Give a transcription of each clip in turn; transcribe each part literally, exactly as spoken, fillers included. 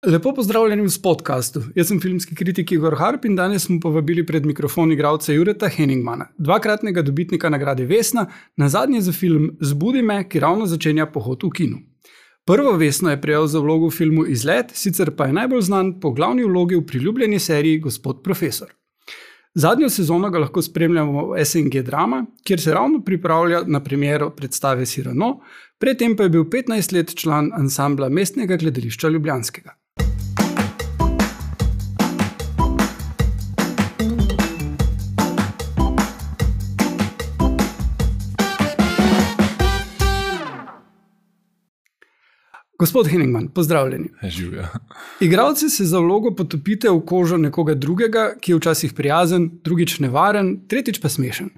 Lepo pozdravljeni v podkastu. Jaz sem filmski kritik Igor Harp in danes smo povabili pred mikrofon igralca Jureta Henigmana, dvakratnega dobitnika nagrade Vesna, nazadnje za film Zbudi me, ki ravno začenja pohod v kinu. Prvo Vesno je prejel za vlogo v filmu Izlet, sicer pa je najbolj znan po glavni vlogi v priljubljeni seriji Gospod profesor. Zadnjo sezono ga lahko spremljamo v S N G Drama, kjer se ravno pripravlja na premiero predstave Cyrano, predtem pa je bil petnajst let član ansambla Mestnega gledališča ljubljanskega. Gospod Henigman, pozdravljeni. Živja. Igralci se za vlogo potopite v kožo nekoga drugega, ki je včasih prijazen, drugič nevaren, tretjič pa smešen.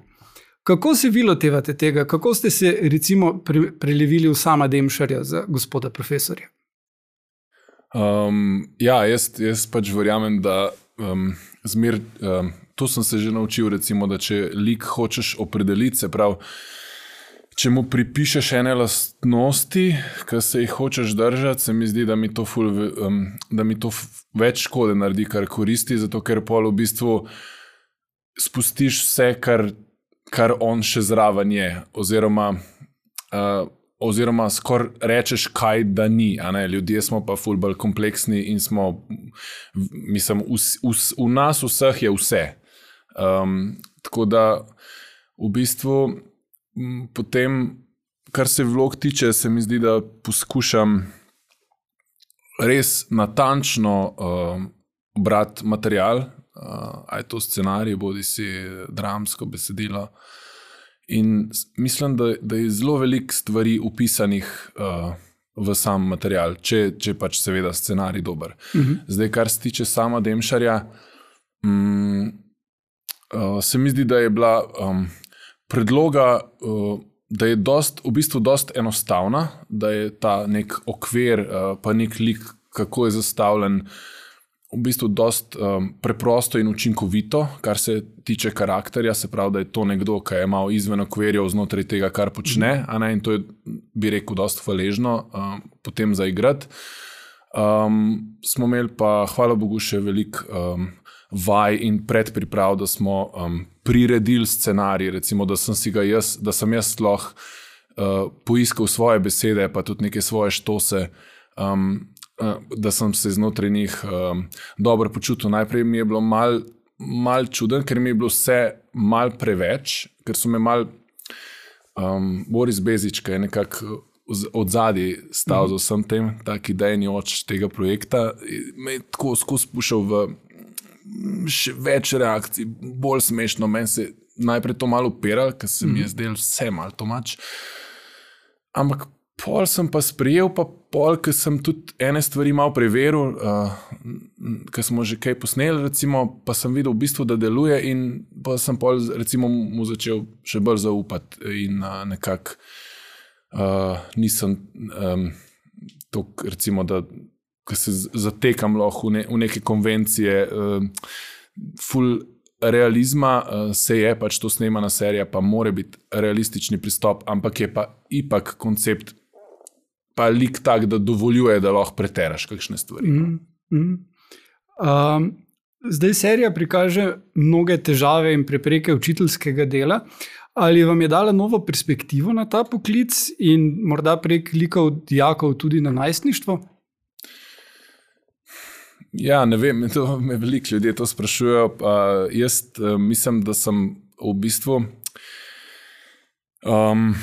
Kako se vi lotevate tega? Kako ste se recimo pre- prelevili v Sama Demšarja za Gospoda profesorja? Um, ja, jaz, jaz pač verjamem, da um, zmer, um, to sem se že naučil, recimo, da če lik hočeš opredeliti, se pravi, če mu pripišeš ene lastnosti, ki se jih hočeš držati, se mi zdi, da mi to, ful, um, da mi to več škode naredi, kar koristi, zato ker pol v bistvu spustiš vse, kar, kar on še zraven je, oziroma, uh, oziroma skor rečeš, kaj da ni. A ne? Ljudje smo pa ful bolj kompleksni in smo, mislim, v, v, v nas vseh je vse. Um, tako da v bistvu potem, kar se vlog tiče, se mi zdi, da poskušam res natančno uh, brati material, uh, a je to scenarij, bodi si dramsko besedilo. In mislim, da, da je zelo veliko stvari upisanih uh, v sam material, če, če pač seveda scenarij dober. Uh-huh. Zdaj, kar se tiče Sama Demšarja, um, uh, se mi zdi, da je bila um, predloga, da je dost, v bistvu dost enostavna, da je ta nek okvir, pa nek lik, kako je zastavljen, v bistvu dost preprosto in učinkovito, kar se tiče karakterja, se pravi, da je to nekdo, ki je malo izven okvirjev znotraj tega, kar počne, a ne, in to je, bi rekel, dost hvaležno potem zaigrati. Um, smo imeli pa, hvala Bogu, še veliko um, vaj in predpriprav, da smo um, priredili scenarij, recimo, da sem si ga jaz, da sem jaz sploh uh, poiskal svoje besede, pa tudi neke svoje štose, um, uh, da sem se znotraj njih um, dobro počutil. Najprej mi je bilo mal, mal čuden, ker mi je bilo vse mal preveč, ker so me mal um, Boris Bezič, ki je nekako od zadaj stal za vsem tem, tak idejni oč tega projekta, me je tako skozi pušal v še več reakcij, bolj smešno. Meni se najprej to malo upiral, ker se mi je zdel vse malo tomač. Ampak pol sem pa sprejel, pa pol, ker sem tudi ene stvari malo preveril, uh, ker smo že kaj posneli, recimo, pa sem videl v bistvu, da deluje, in pa sem pol recimo mu začel še bolj zaupati in uh, nekako uh, nisem um, to, recimo, da ko se zatekam lahko v, ne, v neke konvencije, uh, ful realizma, uh, se je pač to snemana serija, pa more biti realistični pristop, ampak je pa ipak koncept pa lik tak, da dovoljuje, da lahko preteraš kakšne stvari. Mm, mm. Um, zdaj serija prikaže mnoge težave in prepreke učiteljskega dela. Ali vam je dala novo perspektivo na ta poklic in morda prek likov dijakov tudi na najstništvo? Ja, ne vem, to me veliko ljudje to sprašujejo. Pa jaz uh, mislim, da sem v bistvu um,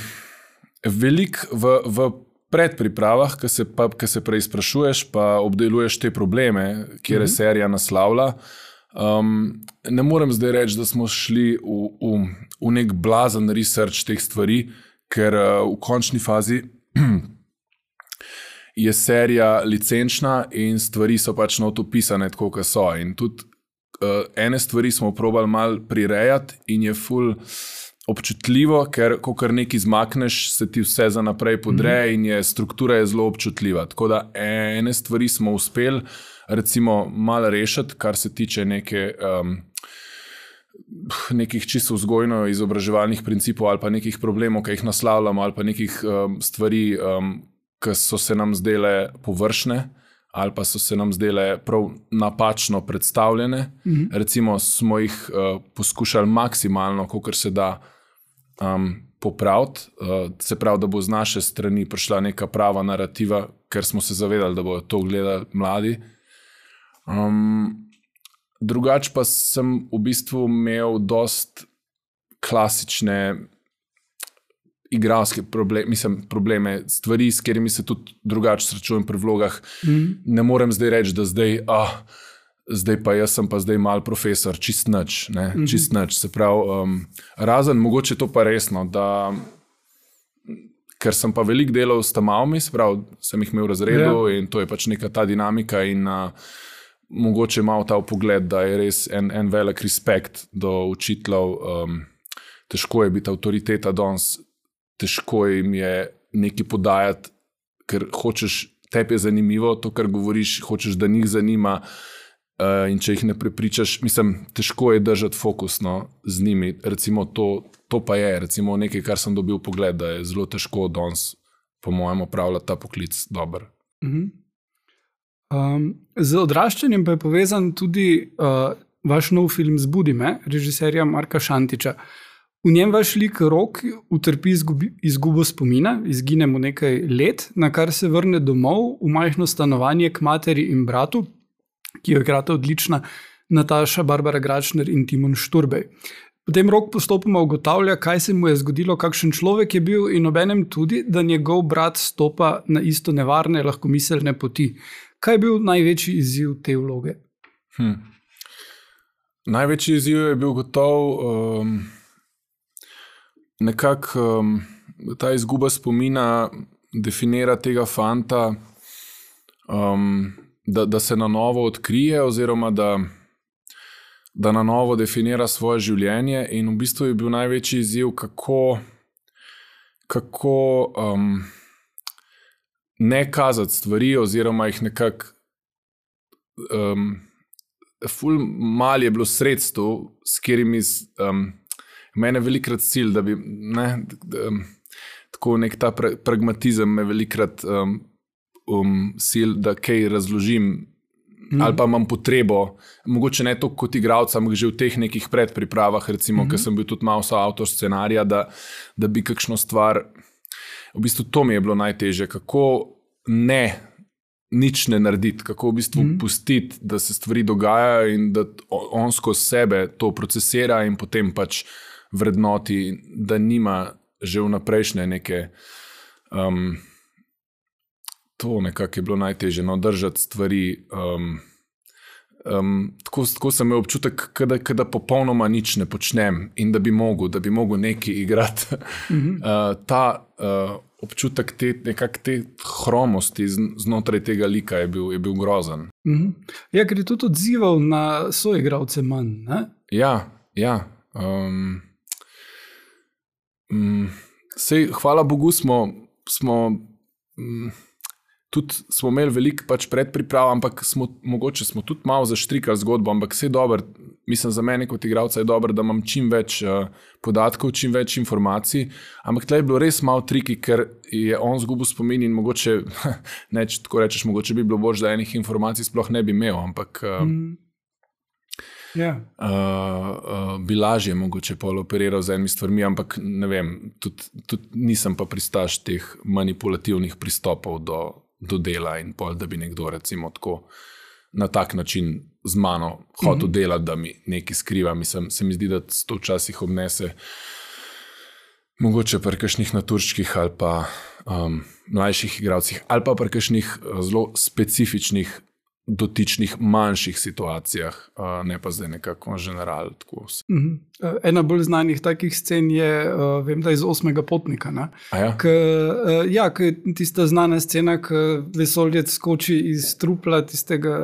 veliko v, v predpripravah, ki se, se prej sprašuješ, pa obdeluješ te probleme, kjer je mm-hmm. serija naslavlja. Um, ne morem zdaj reči, da smo šli v, v, v nek blazen research teh stvari, ker uh, v končni fazi je serija licenčna in stvari so pač not opisane tako, kot so. In tudi uh, ene stvari smo probali malo prirejati in je ful občutljivo, ker ko kar nekaj zmakneš, se ti vse za naprej podre mm-hmm. in je struktura je zelo občutljiva. Tako da ene stvari smo uspeli recimo malo rešiti, kar se tiče neke um, nekih čisto vzgojno izobraževalnih principov ali pa nekih problemov, ki jih naslavljamo, ali pa nekih um, stvari, um, ki so se nam zdele površne, ali pa so se nam zdele prav napačno predstavljene. Mm-hmm. Recimo smo jih uh, poskušali maksimalno, kolikor se da, um, popraviti. Uh, se pravi, da bo z naše strani prišla neka prava narativa, ker smo se zavedali, da bodo to gledali mladi. Um, drugače pa sem v bistvu imel dost klasične igralske probleme, mislim, probleme, stvari, s katerimi se tudi drugače srečujem pri vlogah. Mm. Ne morem zdaj reči, da zdaj, ah, zdaj pa jaz sem pa zdaj mal profesor, čist nič, ne, mm-hmm. čist nič. Se pravi, um, razen, mogoče to pa resno, da, ker sem pa veliko delal s tamavmi, se pravi, sem jih imel v razredu yeah. in to je pač neka ta dinamika in uh, mogoče malo ta pogled, da je res en, en velik respekt do učiteljev. Um, težko je biti avtoriteta danes, težko jim je nekaj podajati, ker hočeš, tebi je zanimivo to, kar govoriš, hočeš, da njih zanima uh, in če jih ne prepričaš, mislim, težko je držati fokus no, z njimi. Recimo to, to pa je, recimo nekaj, kar sem dobil pogled, da je zelo težko danes, po mojem, opravljati ta poklic dober. Mhm. Um, z odraščanjem pa je povezan tudi uh, vaš nov film Zbudi me, režiserja Marka Šantiča. V njem vaš lik Rok utrpi izgubi, izgubo spomina, izgine mu nekaj let, na kar se vrne domov v majhno stanovanje k materi in bratu, ki jo igrata odlična Nataša, Barbara Gračner in Timon Šturbej. Potem Rok postopoma ugotavlja, kaj se mu je zgodilo, kakšen človek je bil in obenem tudi, da njegov brat stopa na isto nevarne, lahkomiselne poti. Kaj je bil največji izziv te vloge? Hm. Največji izziv je bil gotov um, nekako um, ta izguba spomina definira tega fanta, um, da, da se na novo odkrije oziroma da, da na novo definira svoje življenje in v bistvu je bil največji izziv, kako, kako um, ne kazati stvari oziroma jih nekako um, ful mal je bilo sredstev, s katerimi um, mene velikrat cilj, da bi ne, da, um, tako nek ta pra, pragmatizem me velikrat um, um, cilj, da kaj razložim mm. ali pa imam potrebo, mogoče ne to kot igralca, ampak že v teh nekih predpripravah, recimo, mm-hmm. ker sem bil tudi malo soavtor scenarija, da, da bi kakšno stvar, v bistvu to mi je bilo najtežje, kako ne nič ne narediti, kako v bistvu mm. pustiti, da se stvari dogajajo in da on skozi sebe to procesira in potem pač vrednoti, da nima že vnaprejšnje neke um, to nekako je bilo najtežje, no, držati stvari um, um, tako, tako sem imel občutek, kada, kada popolnoma nič ne počnem in da bi mogel, da bi mogel nekaj igrati. Mm-hmm. uh, ta uh, občutek te, nekak te hromosti znotraj tega lika je bil, je bil grozen. Mm-hmm. Ja, ker je tudi odzival na soigralce manj, ne? Ja, ja. Um, um, sej, hvala Bogu smo, smo um, tudi smo imeli veliko pač predpriprav, ampak smo, mogoče smo tudi malo zaštrikali zgodbo, ampak vse dobro, mislim za mene kot igralca je dobro, da imam čim več uh, podatkov, čim več informacij, ampak tle je bilo res malo triki, ker je on zgubil spomin in mogoče, ne, če tako rečeš, mogoče bi bilo bož, da enih informacij sploh ne bi imel, ampak uh, mm. yeah. uh, uh, bi lažje mogoče pol operiral z enimi stvarmi, ampak ne vem, tudi, tudi nisem pa pristaš teh manipulativnih pristopov do do dela in pol, da bi nekdo recimo tako na tak način z mano hotel mm-hmm. delati, da mi nekaj skriva. Mislim, se mi zdi, da to včasih obnese mogoče pri kakšnih naturščkih ali pa um, mlajših igralcih ali pa pri kakšnih zelo specifičnih dotičnih manjših situacijah, uh, ne pa zdaj nekako general. Tako vse. Mm-hmm. Ena bolj znanih takih scen je, uh, vem, da iz Osmega potnika. Ne? Ja? K, uh, ja, k tista znana scena, ko vesoljec skoči iz trupla tistega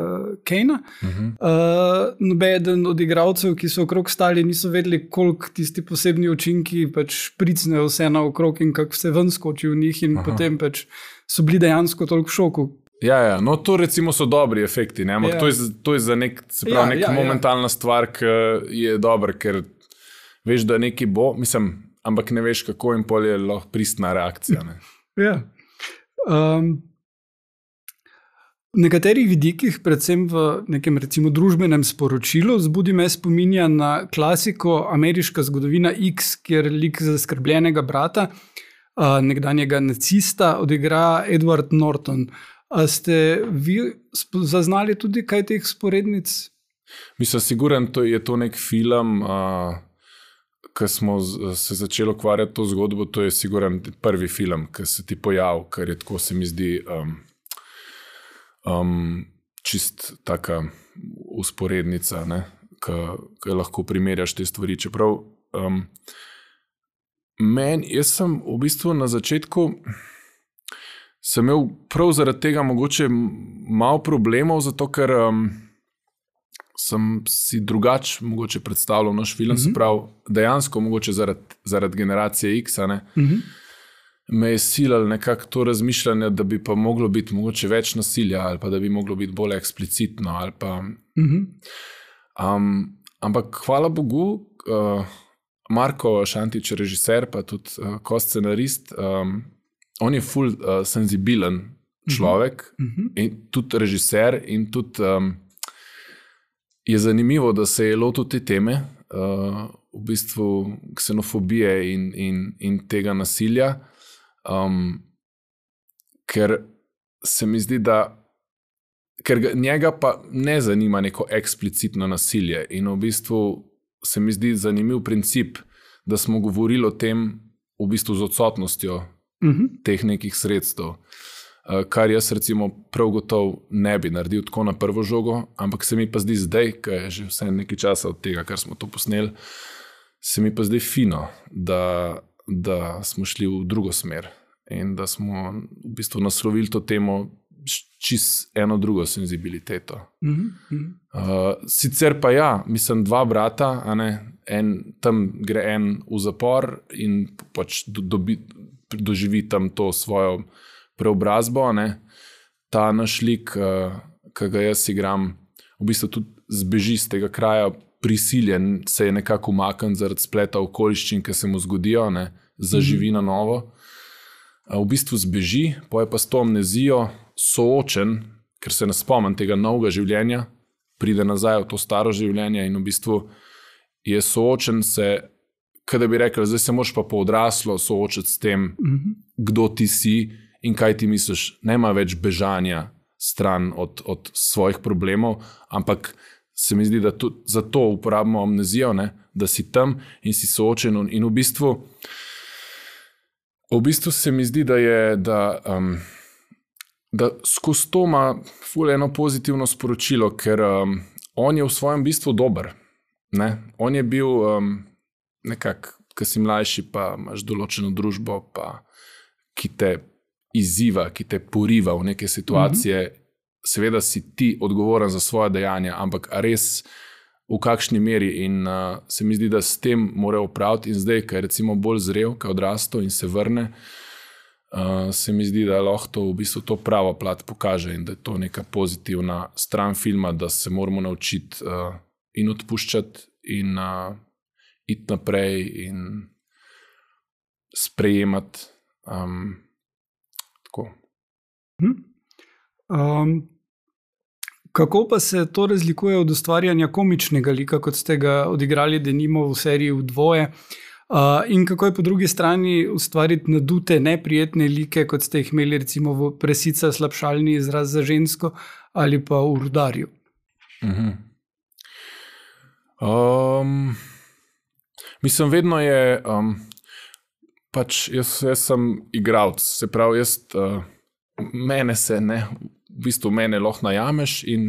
Kejna. Mm-hmm. Uh, nobeden od igralcev, ki so okrog stali, niso vedeli, koliko tisti posebni učinki pač pricnejo vse naokrog in kako vse ven skoči v njih in Aha. potem pač so bili dejansko toliko v šoku. Ja, ja, no to recimo so dobri efekti, ne? Ampak ja. to, je, to je za nek, se pravi, ja, neka ja, momentalna ja. stvar, ki je dobra, ker veš, da nekaj bo, mislim, ampak ne veš, kako in pol je lahko pristna reakcija. Ne? Ja. Um, V nekaterih vidikih, predvsem v nekem recimo družbenem sporočilu, Zbudi me spominja na klasiko Ameriška zgodovina X, kjer lik zaskrbljenega brata, nekdanjega nacista, odigra Edward Norton. A ste vi zaznali tudi kaj teh sporednic? Mislim, siguren, to je to nek film, uh, ko smo se začeli ukvarjati to zgodbo, to je siguren prvi film, ki se ti pojav, ker je tako, se mi zdi, um, um, čist taka usporednica, ki lahko primerjaš te stvari. Čeprav um, men, jaz sem v bistvu na začetku sem imel prav zaradi tega mogoče malo problemov, zato ker um, sem si drugač mogoče predstavljal naš film, mm-hmm. se pravi, dejansko mogoče zaradi, zaradi generacije X, ne, mm-hmm. me je silal nekako to razmišljanje, da bi pa moglo biti mogoče več nasilja ali pa da bi moglo biti bolj eksplicitno. Ali pa, mm-hmm. um, ampak hvala Bogu, uh, Marko Šantič, režiser, pa tudi uh, ko scenarist, um, on je ful uh, senzibilen človek, mm-hmm. in tudi režiser in tudi um, je zanimivo, da se je lotil te teme, uh, v bistvu ksenofobije in, in, in tega nasilja, um, ker se mi zdi, da ker ga, njega pa ne zanima neko eksplicitno nasilje in v bistvu se mi zdi zanimiv princip, da smo govorili o tem v bistvu z odsotnostjo mm-hmm. teh nekih sredstev. Kar jaz recimo prav gotov ne bi naredil tako na prvo žogo, ampak se mi pa zdi zdaj, ker je že vse nekaj časa od tega, kar smo to posneli, se mi pa zdi fino, da, da smo šli v drugo smer in da smo v bistvu naslovili to temo čist eno drugo senzibiliteto. Mm-hmm. Uh, sicer pa ja, mislim, dva brata, a ne, en, tam gre en v zapor in pač do, dobi, doživi tam to svojo preobrazbo, ne. Ta naš lik, uh, ki ga jaz igram, v bistvu tudi zbeži z tega kraja, prisiljen se je nekako umakniti zaradi spleta okoliščin, ki se mu zgodijo, ne, zaživi mm-hmm. na novo. Uh, v bistvu zbeži, poje pa s to amnezijo soočen, ker se ne spomnim tega novega življenja, pride nazaj v to staro življenje in v bistvu je soočen se, kada bi rekel, zdaj se moraš pa po odraslo soočiti s tem, mm-hmm. kdo ti si, in kaj ti misliš, nema več bežanja stran od, od svojih problemov, ampak se mi zdi, da tudi zato uporabimo amnezijo, ne, da si tam in si soočen in v bistvu v bistvu se mi zdi, da je, da, um, da skozi to ima ful eno pozitivno sporočilo, ker um, on je v svojem bistvu dober. Ne? On je bil um, nekako, ko si mlajši, pa imaš določeno družbo, pa ki te izziva, ki te poriva v neke situacije, mm-hmm. seveda si ti odgovoren za svoje dejanja, ampak res v kakšni meri in uh, se mi zdi, da s tem mora opraviti in zdaj, ko je recimo bolj zrel, ko je odrastel in se vrne, uh, se mi zdi, da lahko to v bistvu to pravo plat pokaže in da je to neka pozitivna stran filma, da se moramo naučiti uh, in odpuščati in uh, iti naprej in sprejemati. Um, Um, kako pa se to razlikuje od ustvarjanja komičnega lika, kot ste ga odigrali denimo v seriji V dvoje, uh, in kako je po drugi strani ustvariti nadute, neprijetne like, kot ste jih imeli recimo v Presica, slabšalni izraz za žensko ali pa v Rudarju? Uh-huh. Um, mislim, vedno je um, pač jaz, jaz sem igralec, se pravi, jaz uh, mene se ne, v bistvu mene lahko najameš in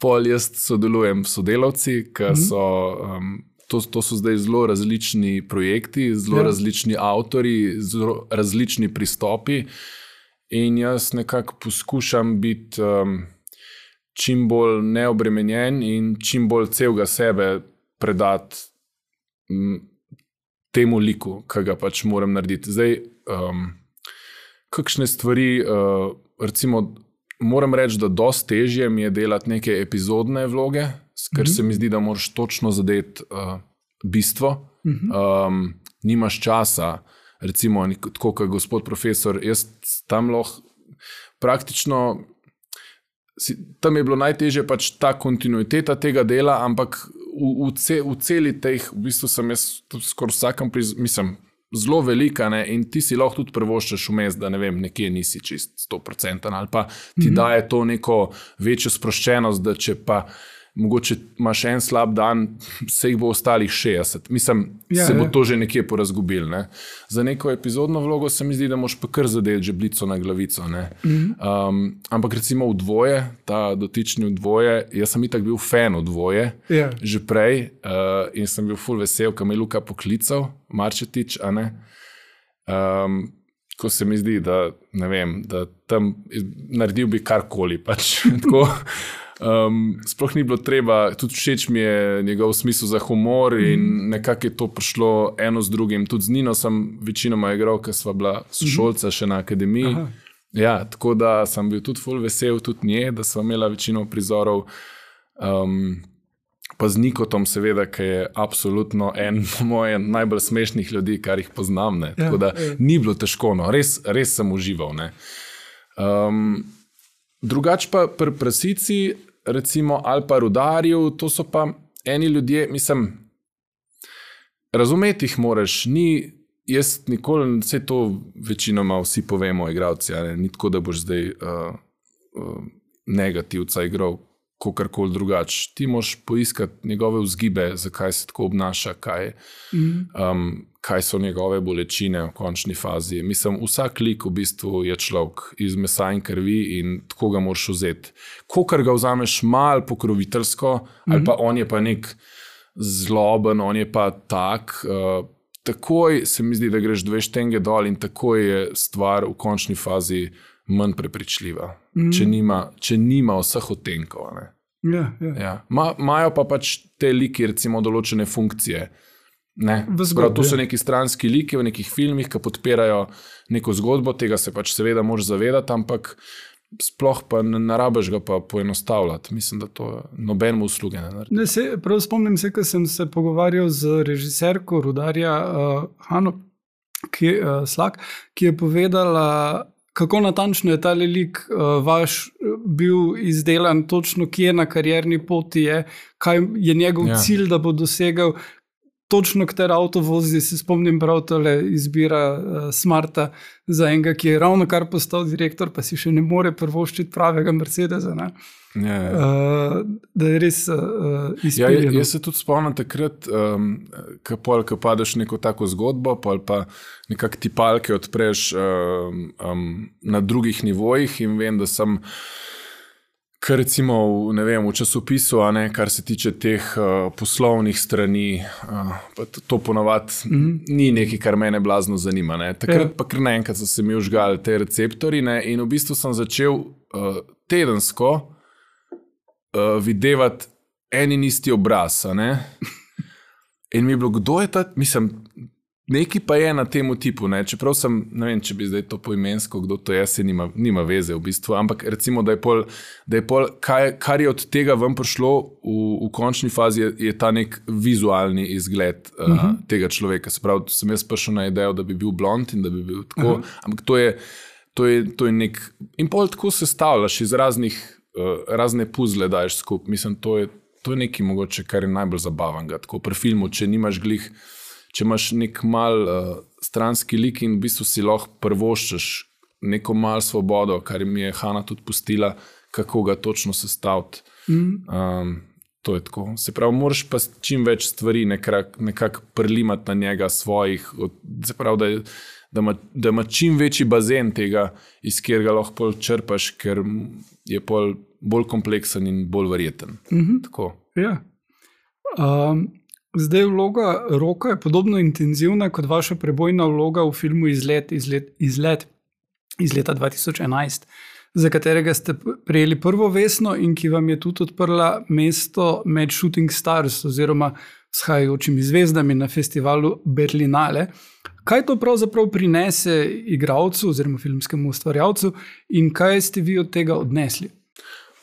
pol jaz sodelujem s sodelavci, ki so, um, to, to so zdaj zelo različni projekti, zelo ja. različni avtori, zelo različni pristopi in jaz nekako poskušam biti um, čim bolj neobremenjen in čim bolj celega sebe predati um, temu liku, ki ga pač moram narediti. Zdaj, um, kakšne stvari, uh, recimo, moram reči, da dosti težje mi je delati neke epizodne vloge, ker mm-hmm. se mi zdi, da moraš točno zadeti uh, bistvo. Mm-hmm. Um, nimaš časa, recimo, tako kot gospod profesor, jaz tam lahko praktično si, tam je bilo najtežje pač ta kontinuiteta tega dela, ampak v, v, ce, v celi teh, v bistvu sem jaz skoraj vsakem, priz, mislim, zelo velika, ne, in ti si lahko tudi prvoščeš vmes, da ne vem, nekje nisi čist sto procentov, ali pa ti mm-hmm. daje to neko večjo sproščenost, da če pa mogoče imaš en slab dan, se jih bo ostalih šestdeset. Mislim, ja, se bo ja. to že nekje porazgubil. Ne? Za neko epizodno vlogo se mi zdi, da moš pa kar zadeti žebljico na glavico. Ne? Mm-hmm. Um, ampak recimo v dvoje, ta dotični v dvoje, jaz sem itak bil fan v dvoje, ja. že prej, uh, in sem bil ful vesel, ko me je Luka poklical, Marčetič, a ne? Um, ko se mi zdi, da ne vem, da tam naredil bi karkoli, pač, tako. Um, sploh ni bilo treba, tudi všeč mi je njegov smisel za humor in nekako je to prišlo eno z drugim. Tudi z Nino sem večinoma igral, ker sva bila sošolca še na akademiji. Ja, tako da sem bil tudi ful vesel, tudi nje, da sva imela večino prizorov. Um, pa z Nikotom seveda, ki je absolutno en mojih najbolj smešnih ljudi, kar jih poznam. Ne? Tako da ni bilo težko, no. res, res sem užival. Ne? Um, drugač pa pri Prasici, recimo, ali pa Rudarju, to so pa eni ljudje, mislim, razumeti jih moraš, ni, jaz nikoli, vse to večinoma vsi povemo, igralci, ne, ni tako, da boš zdaj uh, uh, negativca igral, kakorkoli drugač. Ti moš poiskati njegove vzgibe, zakaj se tako obnaša, kaj, um, kaj so njegove bolečine v končni fazi. Mislim, vsak lik v bistvu je človek iz mesa in krvi in tako ga moraš vzeti. Kokar ga vzameš malo pokroviteljsko, mm-hmm. ali pa on je pa nek zloben, on je pa tak, uh, takoj se mi zdi, da greš dve štenge dol in takoj je stvar v končni fazi manj prepričljiva, mm. če, nima, če nima vseh odtenkov. Ja, ja. Ja. Ma, majo pa pač te liki, recimo, določene funkcije. Ne? Zgodbi, to so neki stranski liki v nekih filmih, ki podpirajo neko zgodbo, tega se pač seveda moraš zavedati, ampak sploh pa ne, ne rabiš ga pa poenostavljati. Mislim, da to nobenemu usluge ne naredi. Ne, se, prav spomnim se, ko sem se pogovarjal z režiserko Rudarja uh, Hano ki, uh, Slak, ki je povedala, kako natančno je ta lik uh, vaš bil izdelan, točno kje na karierni poti je, kaj je njegov ja. cilj, da bo dosegal, točno katero avto vozi, se spomnim prav tole izbira uh, Smarta za enega, ki je ravno kar postal direktor, pa si še ne more prvoščiti pravega Mercedesa, ne? Ja, ja. Uh, da je res uh, izpiljeno. Ja, jaz se tudi spomnim takrat, um, ko padeš neko tako zgodbo, ali pa nekak tipalke odpreš um, um, na drugih nivojih in vem, da sem kar recimo v, ne vem, v časopisu, a ne, kar se tiče teh uh, poslovnih strani, uh, pa to, to ponovat mm-hmm. ni nekaj, kar mene blazno zanima. Ne. Takrat ja. pa kar naenkrat so se mi užgali te receptori, ne, in v bistvu sem začel uh, tedensko Uh, videvati en in isti obraz, a ne? In mi je bilo, kdo je ta, mislim, neki pa je na temu tipu, ne? Čeprav sem, ne vem, če bi zdaj to poimensko, kdo to je, se nima, nima veze v bistvu, ampak recimo, da je pol, da je pol kaj, kar je od tega ven prišlo v, v končni fazi, je, je ta nek vizualni izgled uh, uh-huh. tega človeka. Se pravi, sem jaz prišel na idejo, da bi bil blond in da bi bil tako, uh-huh. ampak to je, to je, to je nek, in pol tako sestavljaš iz raznih Uh, razne puzle daješ skup. Mislim, to je, to je nekaj mogoče, kar je najbolj zabavanga. Tako pri filmu, če nimaš glih, če imaš nek mal uh, stranski lik in v bistvu si lahko prvoščeš neko mal svobodo, kar mi je Hana tudi pustila, kako ga točno sestaviti. Mm. Um, to je tako. Se pravi, moraš pa čim več stvari nekako nekak prlimati na njega svojih, od, se pravi, da je da ima, da ima čim večji bazen tega, iz katerega lahko pol črpaš, ker je pol bolj kompleksen in bolj verjeten. Mm-hmm. Tako. Ja. Um, zdaj vloga Roka je podobno intenzivna kot vaša prebojna vloga v filmu Izlet, izlet, izlet iz leta dva tisoč enajst, za katerega ste prejeli prvo vesno in ki vam je tudi odprla mesto med Shooting Stars oziroma vzhajajočimi zvezdami na festivalu Berlinale. Kaj to pravzaprav prinese igralcu oziroma filmskemu ustvarjalcu in kaj ste vi od tega odnesli?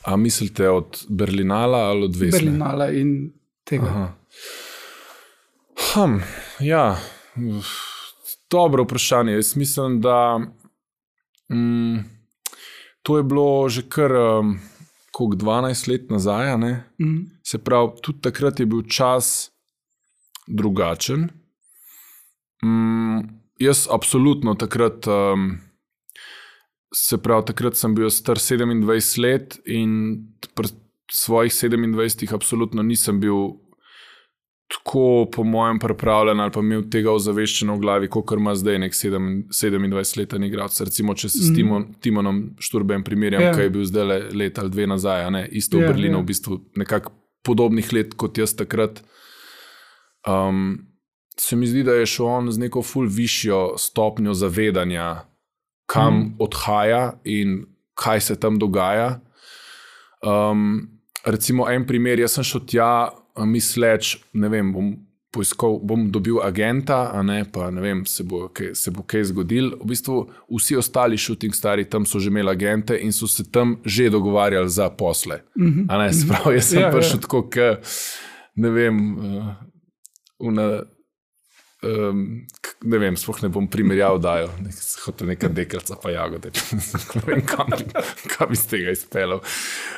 A mislite od Berlinala ali od Vesne? Berlinala in tega. Aha. Hm, ja, dobro vprašanje. Jaz mislim, da mm, to je bilo že kar um, koliko dvanajst let nazaj, ne? Mm. Se pravi, tudi takrat je bil čas drugačen. Mm, jaz absolutno takrat, um, se pravi, takrat sem bil star sedemindvajset let in pri svojih sedemindvajsetih absolutno nisem bil tako po mojem pripravljen ali pa imel tega ozaveščeno v glavi, kot ima zdaj nek sedemindvajsetletni igralec. Recimo, če se mm. s Timon, Timonom Šturbem primerjam, yeah. kaj je bil zdaj le let ali dve nazaj, ne? Isto yeah, v Berlinu, yeah. v bistvu nekako podobnih let kot jaz takrat. Um, se mi zdi, da je šel on z neko ful višjo stopnjo zavedanja, kam mm. odhaja in kaj se tam dogaja. Um, recimo en primer, jaz sem šel tja, misleč, ne vem, bom poiskal, bom dobil agenta, a ne, pa ne vem, se bo, kaj, se bo kaj zgodil. V bistvu vsi ostali shooting stari tam so že imeli agente in so se tam že dogovarjali za posle. Mm-hmm. A ne, sprav, jaz sem ja, prišel ja. tako, k, ne vem, uh, una, um, k, ne vem, sploh ne bom primerjal dajo, nek, hotel neka dekalca pa jagode, ne vem, kam bi, kam bi z tega izpeljal.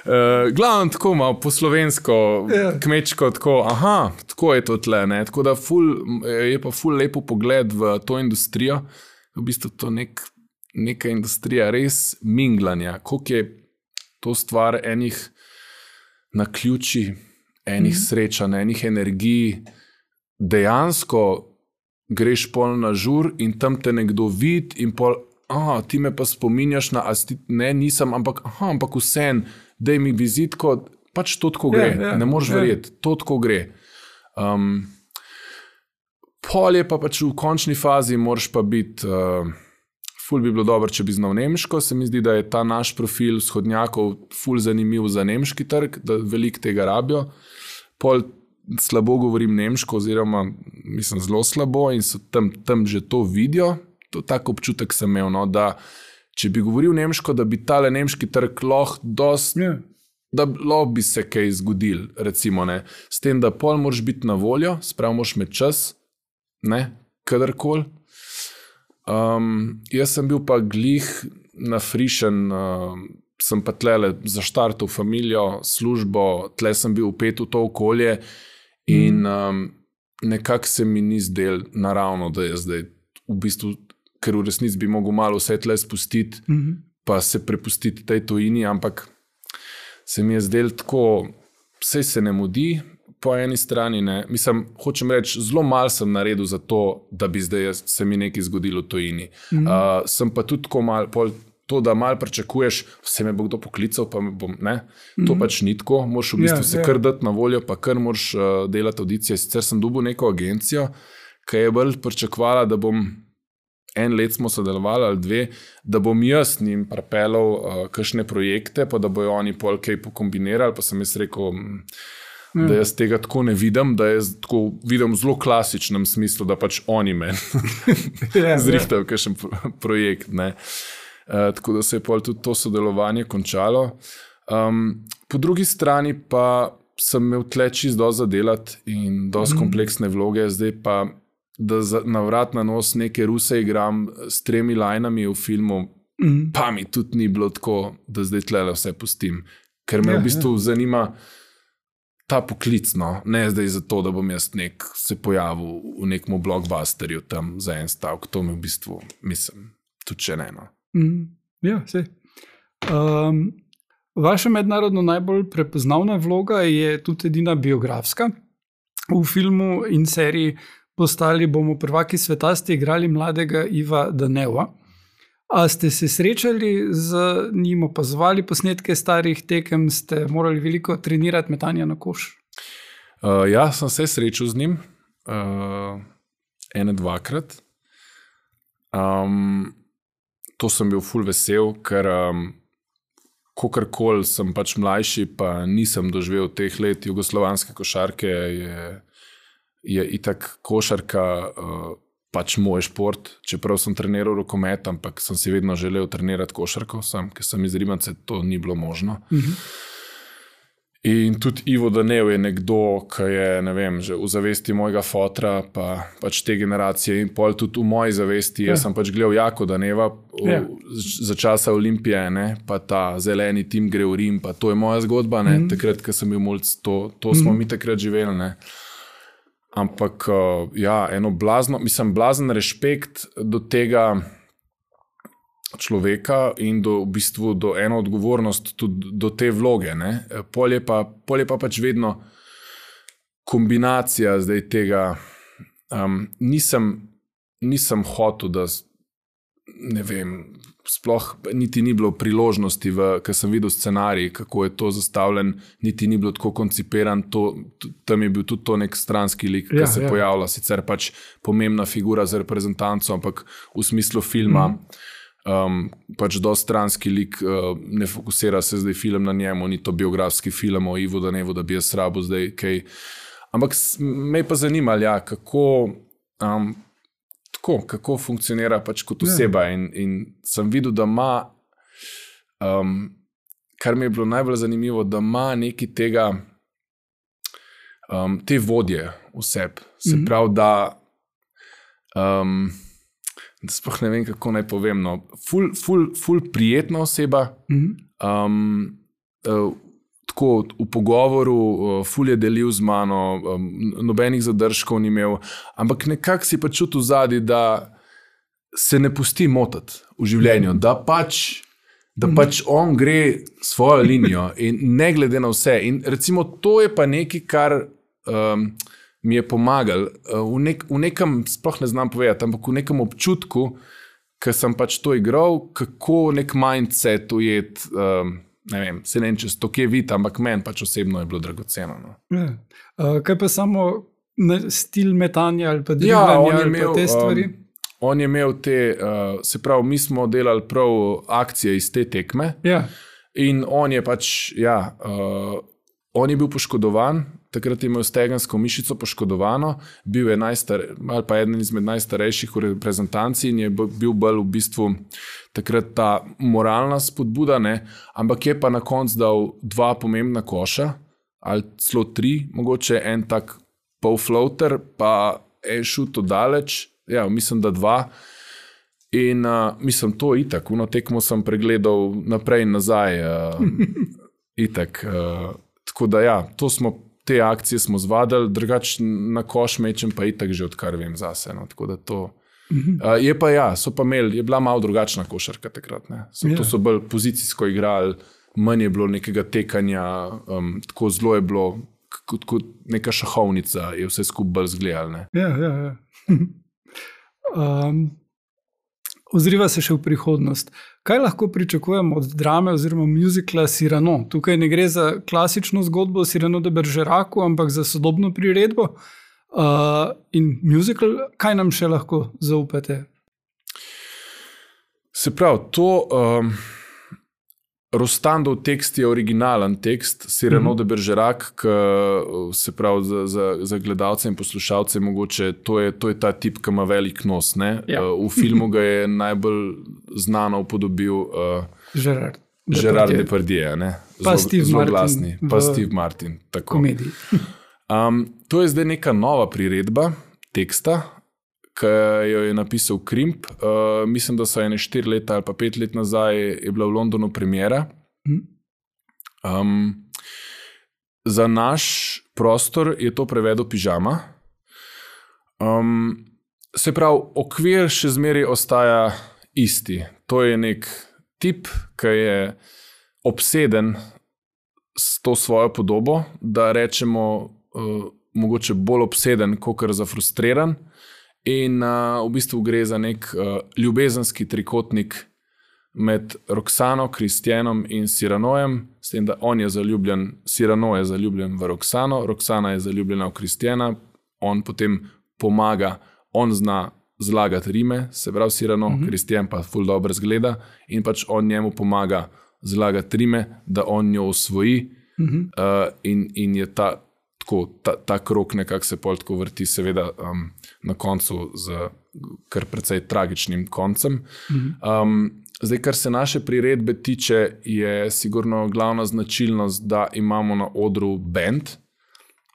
Uh, glavno tako malo po slovensko, yeah. kmečko, tako, aha, tako je to tle, ne, tako da ful, je pa ful lepo pogled v to industrijo, v bistvu to nek, neka industrija res minglanja, koliko je to stvar enih naključij, enih mm. srečanj, enih energij, dejansko greš pol na žur in tam te nekdo vidi in pol, aha, ti me pa spominjaš na, ne, nisem, ampak, aha, ampak vsem, daj mi vizitko, pač to tako gre, yeah, yeah, ne moreš yeah. verjeti, to tako gre. Um, pol je pa pač v končni fazi, moraš pa biti, uh, ful bi bilo dobro, če bi znal nemško, se mi zdi, da je ta naš profil vzhodnjakov ful zanimiv za nemški trg, da veliko tega rabijo. Pol slabo govorim nemško, oziroma mislim zelo slabo in so tam, tam že to vidijo. To tak občutek sem imel, no, da če bi govoril nemško, da bi tale nemški trg lahko dost, yeah. da lahko bi se kaj zgodil, recimo, ne. S tem, da pol moraš biti na voljo, sprav moraš imeti čas, ne, kadarkoli. Um, jaz sem bil pa glih nafrišen, uh, sem pa tlele zaštartal familijo, službo, tle sem bil vpet v to okolje in um, nekako se mi ni zdel naravno, da je zdaj v bistvu, ker v resnici bi mogel malo vse tle spustiti, mm-hmm. pa se prepustiti tej tujini, ampak se mi je zdel tako, vse se ne mudi, po eni strani ne. Mislim, hočem reči, zelo malo sem naredil za to, da bi zdaj se mi nekaj zgodilo v tujini. Mm-hmm. Uh, sem pa tudi tako malo, pol, to, da malo pričakuješ, vse me bo kdo poklical, pa me bom, ne, to mm-hmm. pač ni tako, moraš v bistvu yeah, se yeah. kar dati na voljo, pa kar moraš uh, delati audicije. Sicer sem dobil neko agencijo, ki je bolj pričakovala, da bom, en let smo sodelovali ali dve, da bom jaz njim pripeljal uh, kakšne projekte, pa da bojo oni pol kaj pokombinirali, pa sem jaz rekel, mm. da jaz tega tako ne vidim, da jaz tako vidim v zelo klasičnem smislu, da pač oni meni yeah, zrihtajo yeah. kakšen projekt, ne. Uh, tako da se je pol tudi to sodelovanje končalo. Um, po drugi strani pa sem imel tle čist dosti zadelati in dosti mm. kompleksne vloge, zdaj pa, da za, na vrat na nos neke ruse igram s tremi lajnami v filmu, mm. pa mi tudi ni bilo tako, da zdaj tlele vse pustim, ker me ja, v bistvu ja. zanima ta poklic, no, ne zdaj zato, da bom jaz nek se pojavil v nekom blockbusterju tam za en stavk, to mi v bistvu, mislim, tudi še ne, no. Mm, ja, sej. Um, vaša mednarodno najbolj prepoznavna vloga je tudi edina biografska. V filmu in seriji Postali bomo prvaki sveta ste igrali mladega Iva Daneva. A ste se srečali z njim, opazovali posnetke starih tekem, ste morali veliko trenirati metanja na koš? Uh, ja, sem se srečal z njim uh, ene dvakrat. Um, To sem bil ful vesel, ker um, kakorkoli sem pač mlajši, pa nisem doživel teh let jugoslovanske košarke, je, je itak košarka uh, pač moj šport, čeprav sem treniral rokomet, ampak sem si vedno želel trenirati košarko, sam, ker sem iz Rimance, to ni bilo možno. Mm-hmm. In tudi Ivo Danev je nekdo, ki je, ne vem, že v zavesti mojega fotra, pa pač te generacije in pol tudi v moji zavesti. Ja. Jaz sem pač gledal Jako Daneva v, ja. za časa Olimpije, ne, pa ta zeleni tim gre v Rim, pa to je moja zgodba, ne, mm. takrat, ko sem bil mulc, to, to smo mm. mi takrat živeli, ne. Ampak, ja, eno blazno, mislim, blazen respekt do tega človeka in do, v bistvu do eno odgovornost tudi do te vloge. Ne? Pol je pa, pol je pa pač vedno kombinacija zdaj tega. Um, nisem, nisem hotel, da ne vem, sploh niti ni bilo priložnosti, ker sem videl scenarij, kako je to zastavljen, niti ni bilo tako koncipiran, to, tam je bil tudi to nek stranski lik, ki ja, se ja. pojavlja, sicer pač pomembna figura za reprezentanco, ampak v smislu filma mm. Um, pač dosti stranski lik, uh, ne fokusira se zdaj film na njemu, ni to biografski film o Ivu Danevu, da bi jaz rabil zdaj kaj. Ampak me je pa zanimalo, ja, kako, um, tako, kako funkcionira pač kot oseba in, in sem videl, da ima, um, kar mi je bilo najbolj zanimivo, da ima nekaj tega, um, te vodje v sebi. Se mm-hmm. pravi, da um, da sploh ne vem, kako naj povem, no, ful, ful, ful prijetna oseba, mm-hmm. um, uh, tako v pogovoru, uh, ful je delil z mano, um, nobenih zadržkov ni imel, ampak nekako si pa čutil zadaj, da se ne pusti motati v življenju, mm-hmm. da pač, da mm-hmm. pač on gre svojo linijo in ne glede na vse. In recimo to je pa nekaj, kar um, mi je pomagal v, nek, v nekem, sploh ne znam povedati, ampak v nekem občutku, ker sem pač to igral, kako nek mindset ujet, um, ne vem, se ne vem, če to kje vidi, ampak meni pač osebno je bilo dragoceno. No. Ja. Uh, kaj pa samo stil metanja ali pa driblanja ja, ali pa te stvari? Um, on je imel te, uh, se pravi, mi smo delali prav akcije iz te tekme ja. in on je pač, ja, uh, on je bil poškodovan, takrat je imel stegensko mišico poškodovano, bil je najstar, ali pa eden izmed najstarejših v reprezentanci in je bil bolj v bistvu takrat ta moralna spodbuda, ne? Ampak je pa na koncu dal dva pomembna koša, ali celo tri, mogoče en tak pol-floater, pa en šut daleč, ja, mislim, da dva. In uh, mislim, to itak, uno tekmo sem pregledal naprej in nazaj, uh, itak. Uh, tako da ja, to smo te akcije smo zvadali, drugač na koš mečem pa itak že odkar vem zase. No, tako da to... Mm-hmm. Uh, je pa ja, so pa imeli, je bila malo drugačna košarka takrat. Ne? So, yeah. To so bolj pozicijsko igrali, manj je bilo nekega tekanja, um, tako zelo je bilo, kot, kot neka šahovnica, je vse skupaj bolj zgledal. Ja, ja, ja. um, ozriva se še v prihodnost. Kaj lahko pričakujemo od drame oziroma muzikla Cyrano? Tukaj ne gre za klasično zgodbo o Cyrano de Bergeracu, ampak za sodobno priredbo. Uh, in muzikl, kaj nam še lahko zaupate? Se pravi, to um, Rostandov tekst je originalen tekst, Cyrano mm-hmm. de Bergerac, ki se pravi za, za, za gledalce in poslušalce mogoče, to je, to je ta tip, ki ima velik nos. Ne? Ja. Uh, v filmu ga je najbolj znano upodobil uh, Gerard, Gerard Depardieu, ne? Pa zlo, Steve zelo Martin. Glasni, pa Steve Martin. Tako. Komediji. um, to je zdaj neka nova priredba teksta, ki jo je napisal Krimp. Uh, mislim, da so ene štiri leta ali pa pet let nazaj je bila v Londonu premiera. Um, za naš prostor je to prevedel Pižama. Um, se pravi, okvir še zmeraj ostaja isti. To je nek tip, ki je obseden s to svojo podobo, da rečemo uh, mogoče bolj obseden, kakor zafrustriran. In uh, v bistvu gre za nek uh, ljubezenski trikotnik med Roxano, Kristjanom in Cyranojem, s tem, da on je zaljubljen, Cyrano je zaljubljen v Roxano, Roxana je zaljubljena v Kristjana, on potem pomaga, on zna zlagati rime, se pravi Cyrano, mm-hmm. Kristjan pa ful dobro zgleda in pač on njemu pomaga zlagati rime, da on njo osvoji mm-hmm. uh, in, in je ta Tako, ta, ta krok nekako se pol tako vrti, seveda um, na koncu z kar precej tragičnim koncem. Mm-hmm. Um, zdaj, kar se naše priredbe tiče, je sigurno glavna značilnost, da imamo na odru band,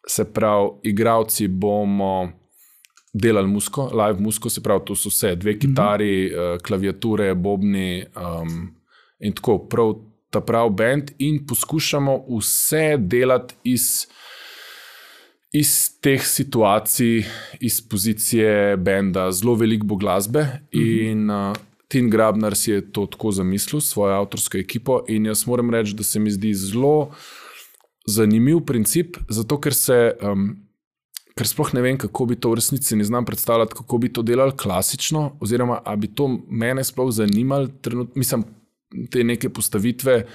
se pravi, igralci bomo delali muziko, live muziko, se pravi, to so vse, dve kitari, mm-hmm. klaviature, bobni um, in tako, prav ta prav band in poskušamo vse delati iz, iz teh situacij, iz pozicije benda. Zelo veliko bo glasbe mm-hmm. in uh, Tin Grabnar si je to tako zamislil, svojo avtorsko ekipo in jaz moram reči, da se mi zdi zelo zanimiv princip, zato ker se... Um, ker sploh ne vem, kako bi to v resnici, ne znam predstavljati, kako bi to delali klasično, oziroma, a bi to mene sploh zanimali, trenutno, mislim, te neke postavitve,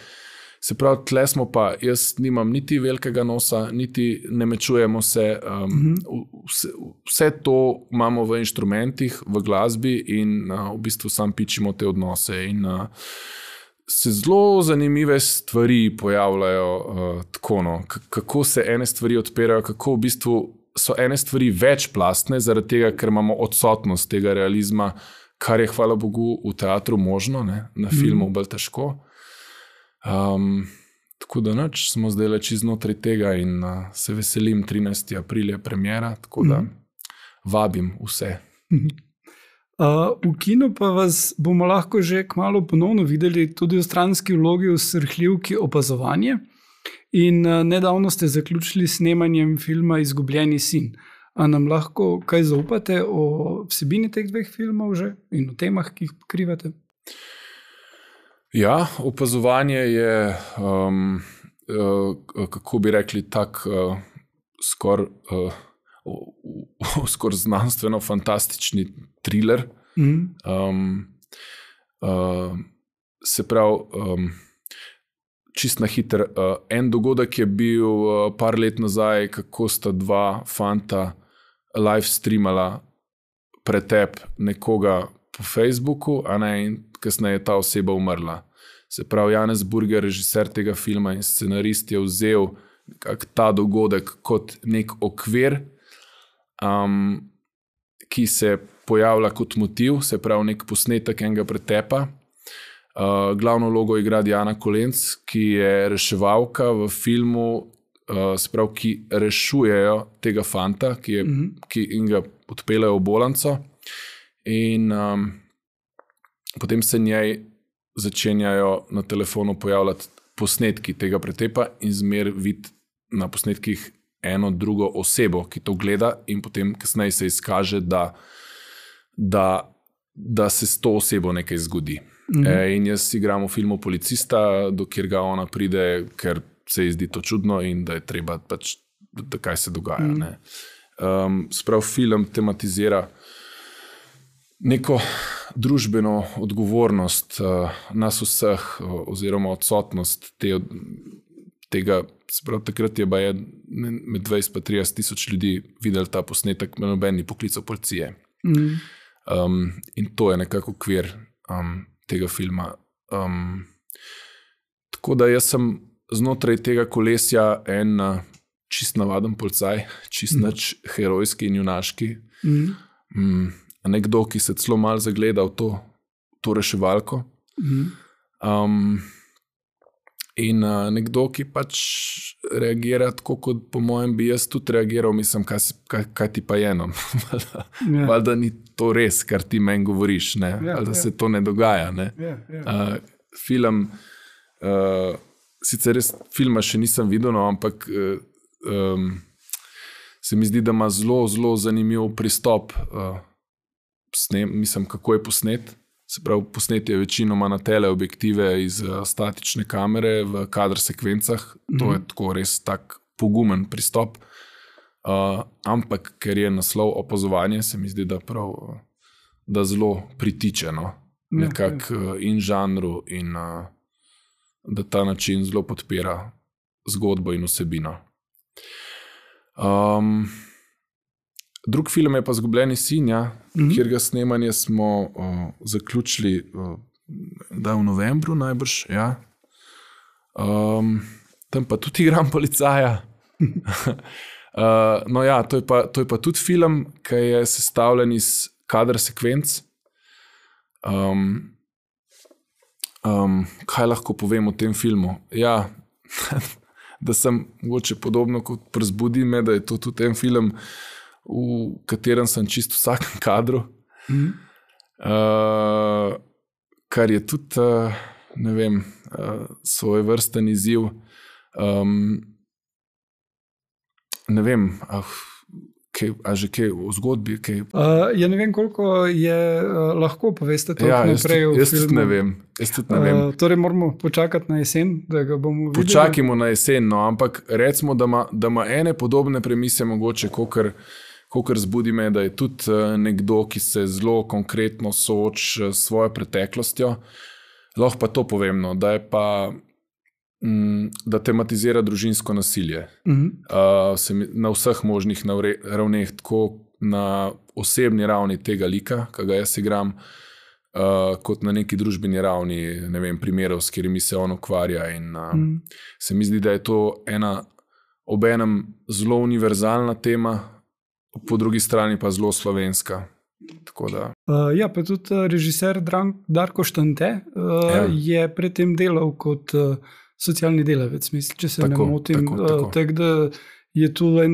se pravi, tle smo pa, jaz nimam niti velikega nosa, niti ne mečujemo se, um, mm-hmm. vse, vse to imamo v inštrumentih, v glasbi in uh, v bistvu sam pičimo te odnose in uh, se zelo zanimive stvari pojavljajo uh, tako, no, K- kako se ene stvari odpirajo, kako v bistvu so ene stvari večplastne, zaradi tega, ker imamo odsotnost tega realizma, kar je, hvala Bogu, v teatru možno, ne? Na filmu mm. bolj težko. Um, tako da nič, smo zdaj leči znotraj tega in uh, se veselim, trinajstega aprila je premiera, tako da mm. vabim vse. Uh, v kinu pa vas bomo lahko že kmalu ponovno videli tudi v stranski vlogi v srhljivki Opazovanje. In uh, nedavno ste zaključili s snemanjem filma Izgubljeni sin. A nam lahko kaj zaupate o vsebini teh dveh filmov že in o temah, ki jih pokrivate? Ja, Opazovanje je, um, uh, kako bi rekli, tak uh, skor, uh, uh, skor znanstveno-fantastični thriller. Mm. Um, uh, se pravi, um, čist na hiter. Uh, en dogodek je bil uh, par let nazaj, kako sta dva fanta live streamala pretep nekoga po Facebooku, a ne, in kasneje je ta oseba umrla. Se pravi, Janez Burger, režiser tega filma in scenarist, je vzel ta dogodek kot nek okvir, um, ki se pojavlja kot motiv, se pravi nek posnetek enega pretepa. Uh, glavno vlogo igra Diana Kolenc, ki je reševalka v filmu, uh, se pravi, ki rešujejo tega fanta, ki, je, mm-hmm. ki in ga odpeljejo v bolnico. In um, potem se njej začenjajo na telefonu pojavljati posnetki tega pretepa in zmer vid na posnetkih eno drugo osebo, ki to gleda in potem kasneje se izkaže, da, da, da se s to osebo nekaj zgodi. Mm-hmm. E, in jaz igram v filmu policista, dokjer ga ona pride, ker se ji zdi to čudno in da je treba pač, da, da kaj se dogaja. Mm-hmm. Ne. Um, sprav film tematizira neko družbeno odgovornost uh, nas vseh uh, oziroma odsotnost te, tega, sprav takrat je baje med dvajset pa trideset tisoč ljudi videli ta posnetek, noben ni poklical policije. Mm-hmm. Um, in to je nekako okvir um, tega filma. Um, tako da jaz sem znotraj tega kolesja en uh, čist navaden policaj, čist mm. nič herojski in junaški. Mm. Um, nekdo, ki se celo malo zagleda v to, to reševalko. Mm. Um, in uh, nekdo, ki pač reagira tako, kot po mojem bi jaz tudi reagiral, mislim, kaj, kaj, kaj ti pa je eno. Yeah. Valjda ni to res, kar ti meni govoriš, ne? Yeah, Valjda yeah. se to ne dogaja. Ne? Yeah, yeah. Uh, film, uh, sicer res filma še nisem videl, no, ampak uh, um, se mi zdi, da ima zelo, zelo zanimiv pristop. Uh, snem, mislim, kako je posnet. Se pravi, posnet je večinoma na teleobjektive iz uh, statične kamere v kadr sekvencah. Mm-hmm. To je tako res tak pogumen pristop. Uh, ampak, ker je naslov Opazovanje, se mi zdi, da prav, da zelo pritiče, no? Ja, nekak ja. In žanru in uh, da ta način zelo podpira zgodbo in vsebino. Um, Drug film je pa Izgubljeni sin, ja, mm-hmm. kjer ga snemanje smo uh, zaključili uh, da v novembru najbrž. Ja. Um, tam pa tudi igram policaja. uh, no ja, to je, pa, to je pa tudi film, ki je sestavljen iz kadr sekvenc. Um, um, kaj lahko povem o tem filmu? Ja, da sem mogoče podobno kot Prazbudi me, da je to tudi en film, v katerem sem čisto v vsakem kadru. Mm. Uh, kar je tudi, uh, ne vem, uh, svoj vrsten izziv. Um, ne vem, ah, kaj, a že kaj v zgodbi? Kaj? Uh, ja ne vem, koliko je uh, lahko poveste to ja, naprej v jaz filmu. Ne vem, jaz tudi ne vem. Uh, torej moramo počakati na jesen, da ga bomo videli. Počakajmo na jesen, no, ampak recimo, da ima, da ima ene podobne premise mogoče, kokor, kokor Zbudi me, da je tudi uh, nekdo, ki se zelo konkretno sooči s svojo preteklostjo. Lahko pa to povem, no, da je pa da tematizira družinsko nasilje. Uh-huh. Uh, se mi, na vseh možnih ravneh, tako na osebni ravni tega lika, ki ga jaz igram, uh, kot na neki družbeni ravni, ne vem, primerov, s katerimi se on ukvarja. In, uh, uh-huh. Se mi zdi, da je to ena obenem zelo univerzalna tema, po drugi strani pa zelo slovenska. Tako da. Uh, ja, pa tudi režiser Darko Štante uh, ja. je predtem delal kot uh, socialni delavec, mislim, če se tako, ne motim. Tako, tako. Uh, tak, da je tu en,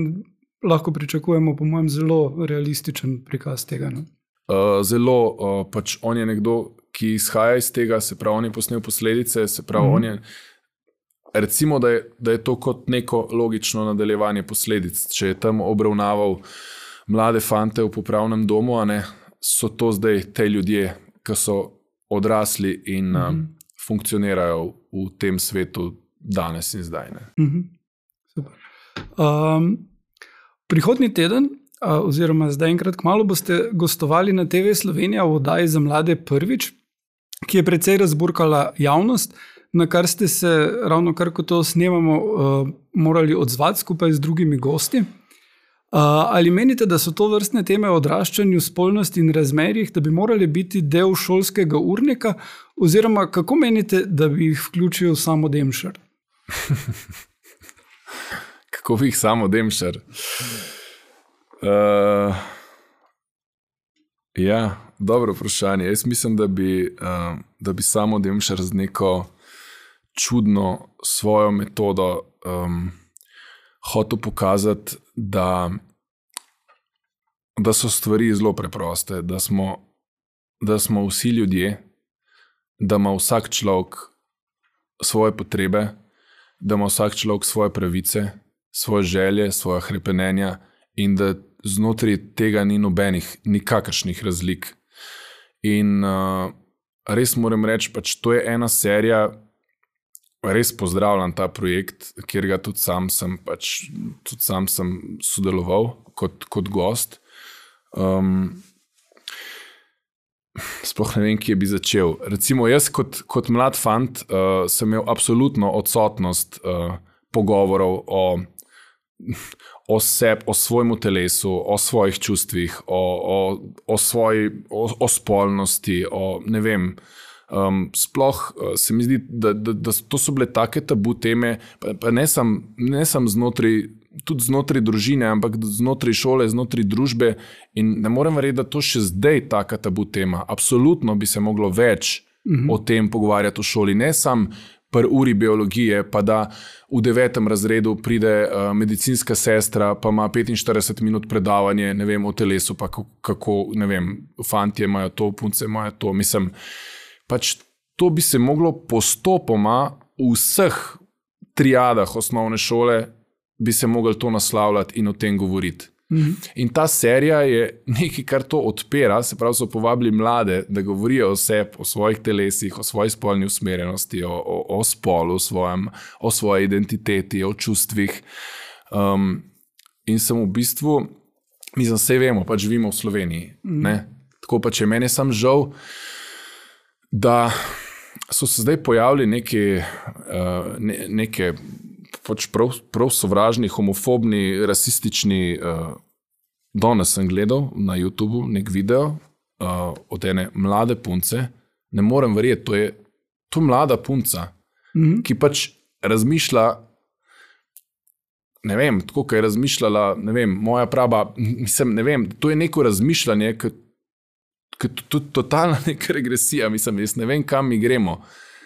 lahko pričakujemo, po mojem, zelo realističen prikaz tega. No? Uh, zelo, uh, pač on je nekdo, ki izhaja iz tega, se pravi, on je posnel posledice, se pravi, mm-hmm. on je, recimo, da je, da je to kot neko logično nadaljevanje posledic. Če je tam obravnaval mlade fante v popravnem domu, a ne, so to zdaj te ljudje, ki so odrasli in mm-hmm. um, funkcionirajo v tem svetu danes in zdaj. Ne. Mm-hmm. Super. Um, prihodnji teden, uh, oziroma zdaj enkrat kmalu, boste gostovali na T V Slovenija v oddaji za mlade Prvič, ki je precej razburkala javnost, na kar ste se, ravno kar ko to snemamo, uh, morali odzvati skupaj z drugimi gosti. Uh, ali menite, da so to vrstne teme o odraščanju, spolnosti in razmerjih, da bi morali biti del šolskega urnika, oziroma kako menite, da bi jih vključil samo Demšar? Kako bi jih samo Demšar? Uh, ja, dobro vprašanje. Jaz mislim, da bi, uh, da bi samo Demšar z neko čudno svojo metodo um, hotel pokazati, da, da so stvari zelo preproste, da smo, da smo vsi ljudje, da ima vsak človek svoje potrebe, da ima vsak človek svoje pravice, svoje želje, svoje hrepenenja in da znotraj tega ni nobenih, nikakršnih razlik. In uh, res moram reči, pač to je ena serija, res pozdravljam ta projekt, kjer ga tudi sam sem, pač, tudi sam sem sodeloval kot, kot gost. Um, sploh ne vem, kje bi začel. Recimo jaz kot, kot mlad fant uh, sem imel absolutno odsotnost uh, pogovorov o, o sebi, o svojemu telesu, o svojih čustvih, o, o, o svoji, o, o spolnosti, o ne vem. Um, sploh uh, se mi zdi, da, da, da to so bile take tabu teme, pa, pa ne sam, ne sam znotraj, tudi znotraj družine, ampak znotraj šole, znotraj družbe in ne morem verjeti, da to še zdaj taka tabu tema. Absolutno bi se moglo več mm-hmm. o tem pogovarjati v šoli, ne sam pri uri biologije, pa da v devetem razredu pride uh, medicinska sestra, pa ima petinštirideset minut predavanje, ne vem, o telesu, pa kako, ne vem, fantje imajo to, punce imajo to, mislim, pač to bi se moglo postopoma v vseh triadah osnovne šole bi se moglo to naslavljati in o tem govoriti. Mm-hmm. In ta serija je nekaj, kar to odpira, se pravi, so povabili mlade, da govorijo o sebi, o svojih telesih, o svoji spolni usmerjenosti, o, o, o spolu, svojem, o svoji identiteti, o čustvih. Um, in sem v bistvu, mislim, vse vemo, pač živimo v Sloveniji. Mm-hmm. Ne? Tako pa, če meni sam žal, da so se zdaj pojavili neke, uh, ne, neke pač prav, prav sovražni, homofobni, rasistični, uh, danes sem gledal na YouTubu nek video uh, od ene mlade punce, ne morem verjeti, to je to mlada punca, mm-hmm. ki pač razmišlja, ne vem, tako, kaj je razmišljala, ne vem, moja prava, mislim, ne vem, to je neko razmišljanje, ki tudi totalna neka regresija, mislim, jaz ne vem, kam mi gremo.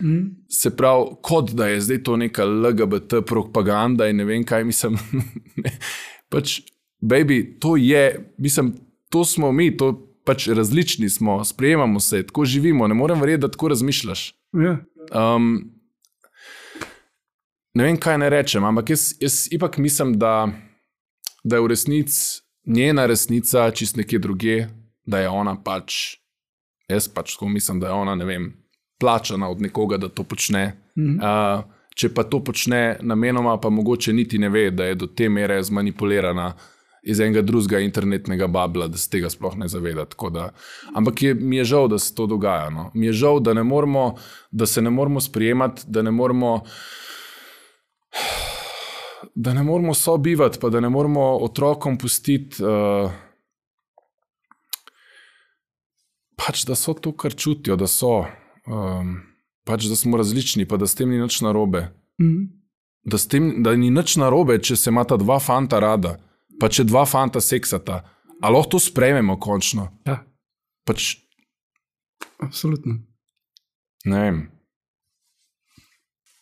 Mm. Se pravi, kot da je zdaj to neka L G B T propaganda in ne vem kaj, mislim, pač, baby, to je, mislim, to smo mi, to pač različni smo, sprejemamo se, tako živimo, ne morem verjeti, da tako razmišljaš. Ja. Um, ne vem, kaj ne rečem, ampak jaz, jaz ipak mislim, da, da je v resnici njena resnica čist nekje druge, da je ona pač, jaz pač tako mislim, da je ona, ne vem, plačana od nekoga, da to počne. Mm-hmm. Uh, če pa to počne namenoma, pa mogoče niti ne ve, da je do te mere zmanipulirana iz enega drugega internetnega babla, da se tega sploh ne zaveda. Tako da, ampak je, mi je žal, da se to dogaja. No. Mi je žal, da, ne moramo, da se ne moramo sprijemati, da ne moramo da ne moramo sobivati, pa da ne moramo otrokom pustiti uh, pač, da so to, kar čutijo, da so. Um, pač, da smo različni, pa da s tem ni nič narobe. Mm. Da, s tem, da ni nič narobe, če se imata dva fanta rada, pa če dva fanta seksata. A lahko to sprejmemo končno? Ja. Pač... Absolutno. Ne vem.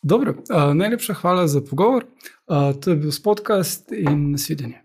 Dobro, uh, najlepša hvala za pogovor. Uh, to je bil podcast in nasvidenje.